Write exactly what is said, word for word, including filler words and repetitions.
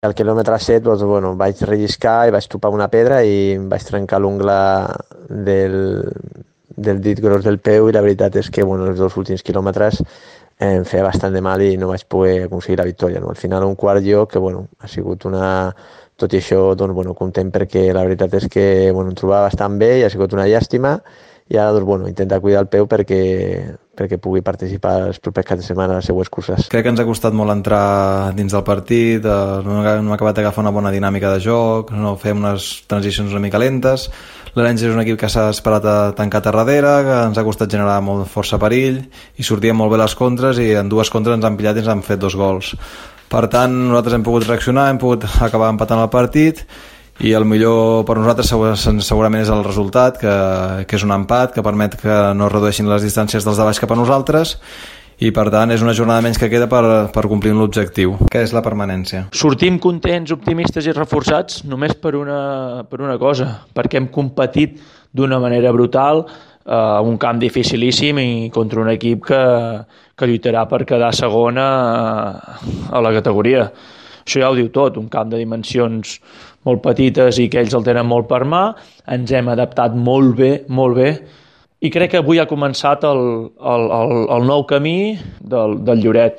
Al quilòmetre set doncs, bueno, vaig relliscar i vaig topar una pedra i em vaig trencar l'ungla del, del dit gros del peu i la veritat és que bueno, els dos últims quilòmetres eh, em feia bastant de mal i no vaig poder aconseguir la victòria. No? Al final un quart lloc que bueno, ha sigut una... Tot i això, doncs, bueno, content perquè la veritat és que bueno, em trobava bastant bé i ha sigut una llàstima i ara doncs, bueno, intentar cuidar el peu perquè, perquè pugui participar els propers caps de setmana a les següents curses. Crec que ens ha costat molt entrar dins del partit, eh, no hem acabat d'agafar una bona dinàmica de joc, no fem unes transicions una mica lentes. L'Arenys és un equip que s'ha esperat a tancat a darrere, que ens ha costat generar molt força perill i sortien molt bé les contres i en dues contres ens han pillat i ens han fet dos gols. Per tant, nosaltres hem pogut reaccionar, hem pogut acabar empatant el partit i el millor per nosaltres segurament és el resultat, que, que és un empat que permet que no es redueixin les distàncies dels de baix cap a nosaltres i per tant és una jornada menys que queda per, per complir l'objectiu, que és la permanència. Sortim contents, optimistes i reforçats només per una, per una cosa, perquè hem competit d'una manera brutal a uh, un camp dificilíssim i contra un equip que, que lluitarà per quedar segona a, a la categoria. Això ja ho diu tot, un camp de dimensions molt petites i que ells el tenen molt per mà, ens hem adaptat molt bé, molt bé, i crec que avui ha començat el, el, el, el nou camí del, del Lloret.